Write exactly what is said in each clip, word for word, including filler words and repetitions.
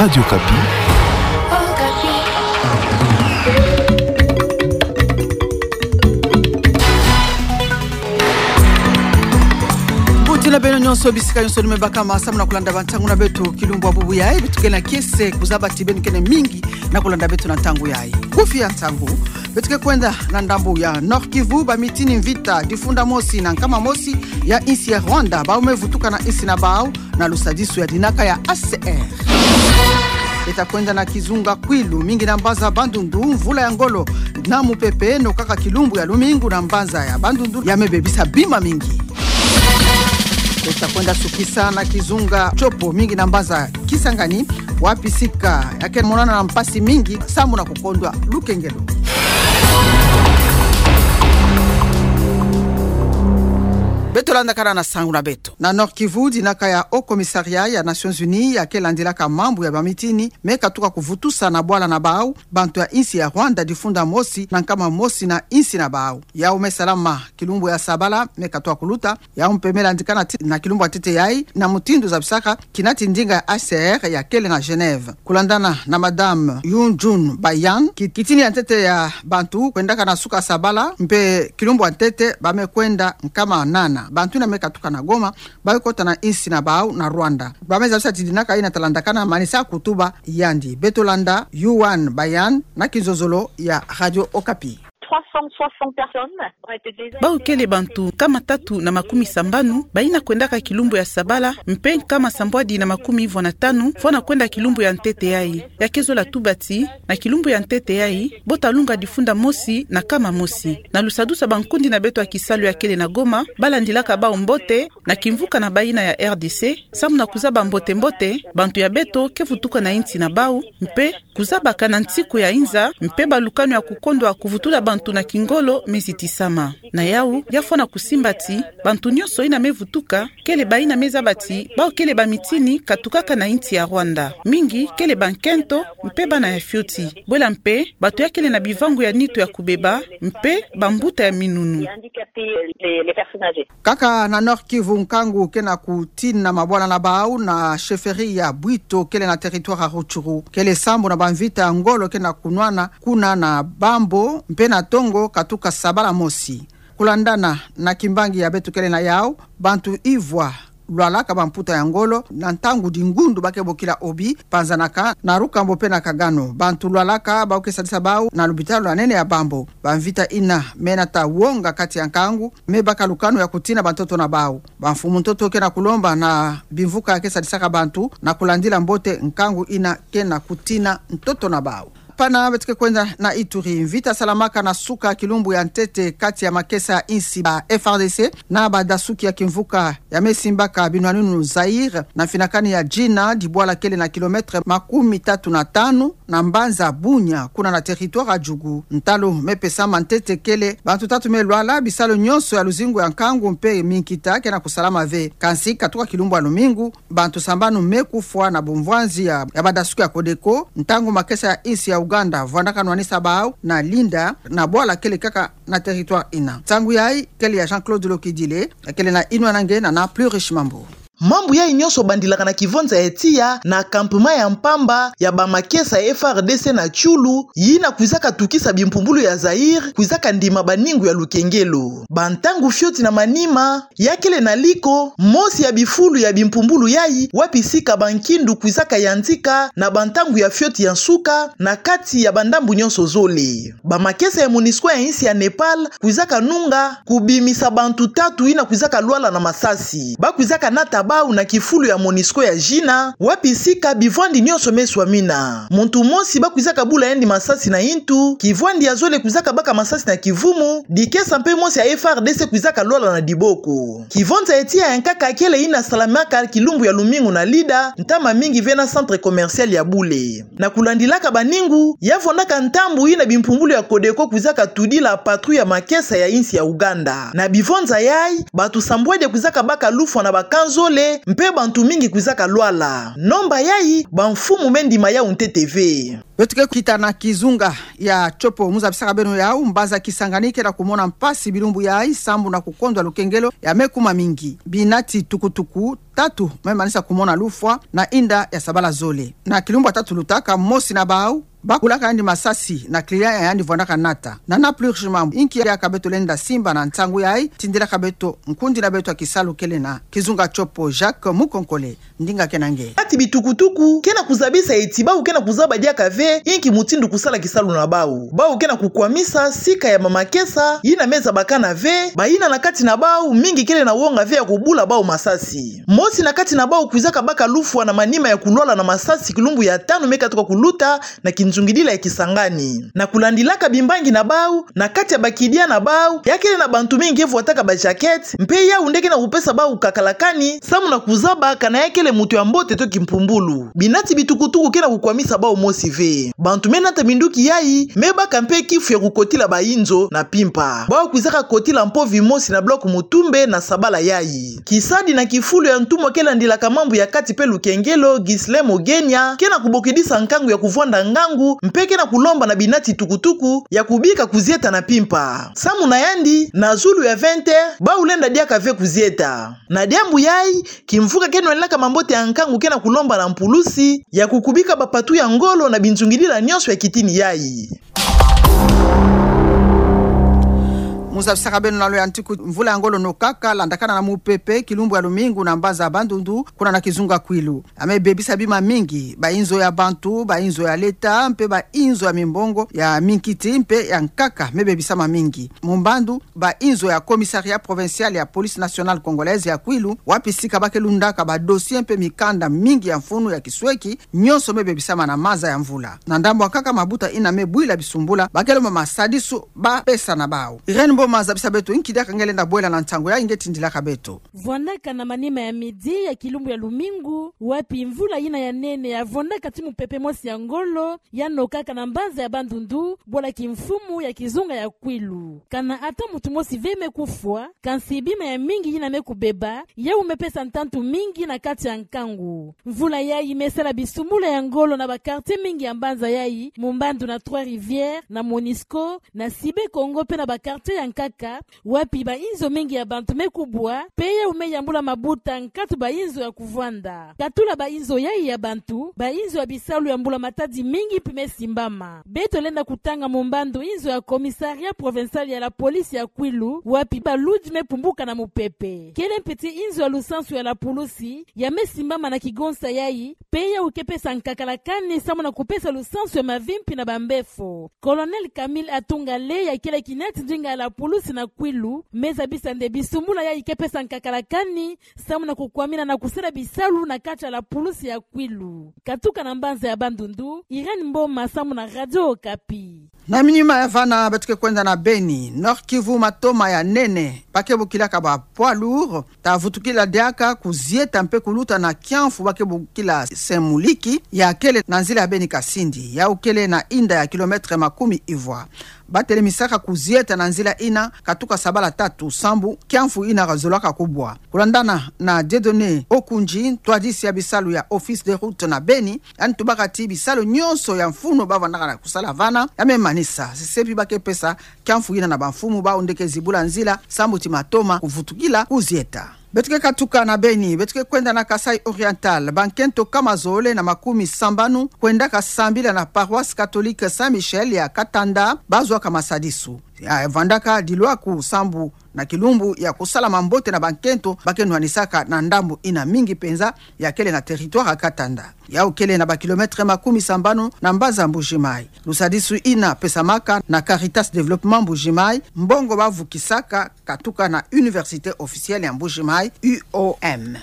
Radio Okapi. Mbuti na beno nyonso, bisika nyonso lumebakama samu na kulanda bantangu na beto kilumbu ya bubu yayi. Beto ke na kiese kuzaba ti beno kene mingi na kulanda beto na ntangu yayi. Kufi ya ntangu, beto ke kwenda na ndambu ya Nord-Kivu, bamitini mvita difunda mosi na nkama mosi ya insi ya Rwanda, bawu me vutuka na insi na bawu, na lusadisu ya dinaka ya H C R. Beto ta kwenda na kizunga Kwilu, mingi na mbanza Bandundu, mvula ya ngolo na mupepe nokaka kilumbu ya lumingu na mbanza ya Bandundu ya me bebisa bima mingi. Beto ta kwenda sukisa na kizunga Tshopo, mingi na mbanza Kisangani, wapi sika ya ke monana na mpasi mingi samu na kukondwa lukengelo. Beto landakana na nsangu na beto. Na Nord-Kivu, dinaka ya Haut Commissariat ya Nations Unies ya ke landilaka mambu ya bamitini me katuka kuvutusa na bwala na bawu bantu ya insi ya Rwanda difunda mosi na nkama mosi na insi na bawu. Yawu me salama kilumbu ya sabala me katuka kuluta. Yawu mpe me landikana ti-, na kilumbu ya ntete yayi, na mutindu zabisaka kina ti ndinga ya H C R ya kele na Genève. Kulandana na Madame Yunjun Bayan, ki-, kitini ya ntete ya bantu kwendaka na suka sabala, mpe kilumbu ya ntete ba me kwenda nkama nana. Bantu yina me katuka na Goma, ba me kota na insi na bawu na Rwanda. Ba me zabisa ti dinaka yina ta landakana manisa kutuba yandi. Beto landa Yuan Bayan na kinzonzolo ya Radio Okapi. Trois cent soixante personnes ont été désintégrisées. Bawu kele bantu nkama tatu na makumi sambanu bayina kwendaka kilumbu ya sabala, mpe nkama sambwadi na makumi ivwa na tanu fwana kwenda kilumbu ya ntete yayi. Ya ke zola tuba ti, na kilumbu ya ntete yayi, bo ta lunga difunda mosi na nkama mosi. Na lusadusu ya bankundi na beto ya kisalu ya kele na Goma, ba landilaka bawu mbote na kimvuka na bayina ya R D C, samu na kuzaba mbote-mbote bantu ya beto ke vutuka na insi na bawu, mpe kuzabaka na nsiku ya inza, mpe balukanu ya kukondwa kuvutula bantu na kingolo me zitisama. Na yawu, ya fwana kusimba ti, bantu nyonso yina me vutuka, kele bayina me zaba ti, bawu kele bamitini katukaka na insi ya Rwanda. Mingi, kele bankento, mpe bana ya fioti. Bwela mpe, bato ya kele na bivangu ya nitu ya kubeba, mpe bambuta ya minunu. Les handicapés, les, les personnes âgées. Kaka na Nord-Kivu, nkangu ke na kutina mabwala na bawu na chefferie ya Bwito kele na territoire ya Rutshuru. Kele sambu na bamvita ya ngolo ke na kunwana kuna na Bambo mpe na Tongo katuka sabala mosi. Kulandana na kimbangi ya beto kele na yawu, bantu ivwa lwalaka bamputa ya ngolo na ntangu dingundu ba ke bokila obi, panzanaka na Rukambo mpe na Kagano. Bantu lwalaka ba ke sadisa bawu na lupitalu ya nene ya Bambo. Bamvita yina me nata wonga kati ya nkangu, me baka lukanu ya kutina bantoto na bawu. Bamfumu ntoto ke na kulomba na bimvuka ya ke sadisaka bantu na kulandila mbote nkangu yina ke na kutina ntoto na bawu. Pana beto ke kwenda na Ituri. Mvita salamaka na suka kilumbu ya ntete kati ya makesa ya insi, ba F A R D C na badasuki ya kimvuka ya me simbaka binwaninu Zaïre na mfinakani ya Djina, dibwala kele na kilomètre makumi tatu na tanu na mbanza Bunia, kuna na territoire ya Djugu. Ntalu me pesama ntete kele bantu tatu me lwala, bisalu nyonso ya luzingu ya nkangu mpe minkita ke na kusalama ve. Kansi katuka kilumbu ya lumingu, bantu sambanu me kufwa na bumvwanzi ya, ya badasuki ya Codeco, ntangu makesa ya insi ya Ouganda vwandaka nwanisa bawu na Linda, na bwala kele kaka na territoire yina. Nsangu yayi kele ya Jean-Claude Lokidile, ya kele na inwan'ange na, na Plus Riche Mambu. Mambu yayi nyonso bandilaka na kivwanza ya tiya na campement ya mpamba ya bamakesa ya F A R D C na Tchoulou, yina kwizaka tukisa bimpumbulu ya Zaïre, kwizaka ndima baningu ya lukengelo. Bantangu fioti na manima, ya kele na liko mosi ya bifulu ya bimpumbulu yayi, wapi sika bankindu kwizaka yantika na bantangu ya fioti ya nsuka, na kati ya bandambu nyonso zole. Bamakesa ya MONUSCO ya insi ya Népal kwizaka nunga kubimisa bantu tatu yina kwizaka lwala na masasi. Ba kwizaka nata bawu na kifulu ya MONUSCO ya Djina, wapi sika bivwandi nyonso me swamina. Muntu mosi ba kwizaka bula yandi masasi na yintu, kivwandi ya zole kwizaka baka masasi na kivumu, dikesa mpe mosi ya F A R D C kwizaka lwala na diboko. Kivwanza ya tiya ya nkaka kele yina salamaka kilumbu ya lumingu na Lida, ntama mingi ve na centre commercial ya bule. Na kulandilaka baningu, ya vwandaka ntambu yina bimpumbulu ya Codeco kwizaka tudila patrouille ya makesa ya insi ya Ouganda. Na bivwanza yayi, bantu sambwadi kwizaka baka lufwa na bakanzole, mpe bantu mingi kwizaka lwala. Nomba yayi, bamfumu me ndima yau ntete ve. Beto ke kita na kizunga ya Tshopo, mu zabisaka beno yau, mbanza Kisangani kena kumona mpasi bilumbu yayi sambu na kukondwa lukengelo ya me kuma mingi. Binati tukutuku tatu me manisa kumona lufwa na inda ya sabala zole. Na kilumbu ya tatu lutaka, mosi na bau bakulaka yandi masasi na client ya yandi vwandaka nata. Na Nana Pluche Mambu, inki yaka beto lenda simba na nsangu yayi, tindilaka beto nkundi na beto ya kisalu kele na kizunga Tshopo, Jacques Mukonkole. Ndinga kena nge. Kati bitukutuku kena kuzabisa ti bau kena kuzaba diaka ve inki mutindu kusala kisalu na bau. Bau kena kukwamisa sika ya mamakesa yina me zabakana ve, bayina na kati na bau mingi kele na wonga ve ya kubula bau masasi. Mosi na kati na bau kwizaka baka lufwa na manima ya kulwala na masasi kilumbu ya tanu me katuka kuluta na kinzungidila ya Kisangani. Na kulandilaka bimbangi na bau, na kati ya bakidia na bau, ya kele na bantu mingi nge vwataka ba jaquette, mpe yau nde kena kupesa bau kakala kani, samu na kuzaba kana ya kele mutu ya mbote to kimpumbulu. Binati bitukutuku kena kukwamisa bau mosi ve. Bantu me nata minduki yayi me baka mpe kifu ya kukotila bainzo na mpimpa. Bau kwizaka kotila mpovi mosi na bloc Mutumbe na sabala yayi. Kisadi na kifulu ya ntumwa ke landilaka mambu ya kati mpe lukengelo, Ghislain Mogenia, kena kubokidisa nkangu ya kuvwanda ngangu, mpe kena kulomba na binati tukutuku ya kubika kuzieta na mpimpa. Samu na yandi, na zulu ya vingt heures, bau lenda diaka ve kuzieta. Na diambu yayi, kimvuka ke nwelenaka mambote ya nkangu kena kulomba na mpulusi ya kukubika bapatu ya ngolo na binzungidila nyonso ya kitini yayi. Mu zabisaka beno na loi ya ntiku, mvula ya ngolo nokaka landakana na mupepe kilumbu ya lumingu na mbanza Bandundu, kuna na kizunga Kwilu. Ya me bebisa bima mingi, bainzo ya bantu, bainzo ya leta, mpe bainzo ya mimbongo ya minkiti mpe ya nkaka me bebisama mingi. Mu mbandu, bainzo ya Commissariat Provincial ya Police Nationale Congolaise ya Kwilu, wapi sika ba ke lundaka ba dossier mpe mikanda mingi ya mfunu ya kisweki, nyonso me bebisama na maza ya mvula. Na ndambu ya nkaka, mabuta yina me bwila bisumbula, ba ke lomba masadisu bapesa na bau. Irène Mboma, zabisa beto inki diaka nge lenda bwela na nsangu yayi, nge tindilaka beto. Vwandaka na manima ya midi ya kilumbu ya lumingu, wapi mvula yina ya nene ya vwandaka ti mupepe mosi ya ngolo, ya nokaka na mbanza ya Bandundu, bwala kimfumu ya kizunga ya Kwilu. Kana ata muntu mosi ve me kufwa, kansi bima ya mingi yina me kubeba, yau me pesa ntantu mingi na kati ya nkangu. Mvula yayi me sala bisumbula ya ngolo na ba quartier mingi ya mbanza yayi, mu mbandu na Trois-Rivières, na Monisco, na Cyber Congo mpe na ba quartier ya nkaka, wapi bainzo mingi ya bantu me kubwa, mpe yau me yambula mabuta nkatu bainzo ya kuvwanda. Katula bainzo yayi ya bantu, bainzo ya bisalu ya mbula-matadi mingi mpe me simbama. Beto lenda kutanga mu mbandu inzo ya Commissariat Provincial ya la Police ya Kwilu, wapi baludi me pumbuka na mupepe. Kele mpe ti inzo ya lusansu ya la pulusi, ya me simbama na kigonsa yayi, mpe yau ke pesa nkakala kani samu na kupesa lusansu ya mavimpi na bambefo. Colonel Camille Atungale, ya kele kinati ndinga ya la pulusi na Kwilu, me zabisa nde bisumbula yayi ke pesa nkakala kani samu na kukwamina na kusala bisalu na kati ya la pulusi ya Kwilu. Katuka na mbanza ya Bandundu, Irène Mboma samu na Radio Okapi. Na minima ya vana, beto ke kwenda na Beni, Nord-Kivu, matoma ya nene ba ke bokilaka ba poids lourds, ta vutukila diaka kuzieta mpe kuluta na kiamfu ba ke bokila Semuliki, ya kele na nzila ya Beni-Kasindi, yau kele na inda ya kilomètre makumi ivwa. Ba telemisaka kuzieta na nzila yina katuka sabala tatu sambu kiamfu yina kazolaka kubwa. Kulandana na Dieudonné Okunji, ntwadisi ya bisalu ya Office des Routes na Beni, yandi tubaka ti bisalu nyonso ya mfunu ba vandaka na kusala vana ya me manisa. Sesepi ba ke pesa kiamfu yina na bamfumu bau nde ke zibula nzila sambu ti matoma kuvutukila kuzieta. Beto ke katuka na Beni, beto ke kwenda na Kasaï Oriental. Bankento kama zole na makumi sambanu kwendaka sambila na paroisse catholique Saint-Michel ya Katanda, ba zwaka masadisu. Ya vandaka dilwaku sambu na kilumbu ya kusala mambote na bankento ba ke nwanisaka na ndambu yina mingi mpenza ya kele na territoire ya Katanda. Yau kele na ba kilomètre makumi sambanu na mbanza Mbuji-Mayi. Lusadisu yina pesamaka na Caritas Développement Mbuji-Mayi, mbongo ba vukisaka katuka na Université Officielle ya Mbuji-Mayi, U O M.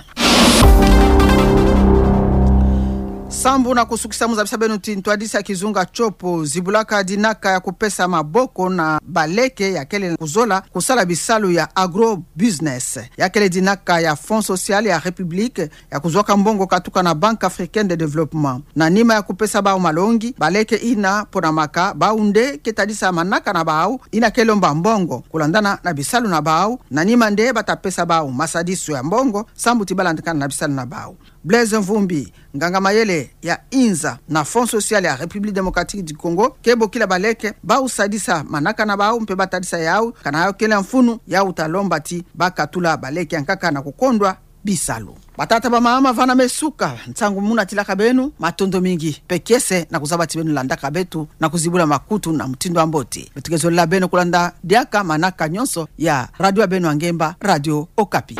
Sambu na kusukisa, mu zabisa beno ti ntwadisi ya kizunga tiopo zibulaka dinaka ya kupesa maboko na baleke ya kele kuzola kusala bisalu ya agro-business, ya kele dinaka ya Fonds Social ya République ya kuzwaka mbongo katuka na Banque Africaine de Développement. Na nima ya kupesa bau malongi, baleke ina ponamaka bau nde ke tadisa manaka na bau ina ke lomba mbongo kulandana na bisalu na bau, na nima nde bata pesa bau masadisu ya mbongo sambu ti balandakana na bisalu na bau. Blaise Mvumbi, nganga mayele ya inza na Fonds Social ya République Démocratique du Congo, ke bokila baleke bau sadisa manaka na bau mpe batadisa yau, kana yau kele mfunu, yau ta lomba ti bakatula baleke yankaka na kukondwa bisalu. Batata, bamama, vana me suka nsangu mu natilaka beno, matondo mingi mpe kiese na kuzaba ti beno landaka beto na kuzibula makutu na mutindu wa mbote. Beto ke zolela beno kulanda diaka manaka nyonso ya radio ya beno ya ngemba, Radio Okapi.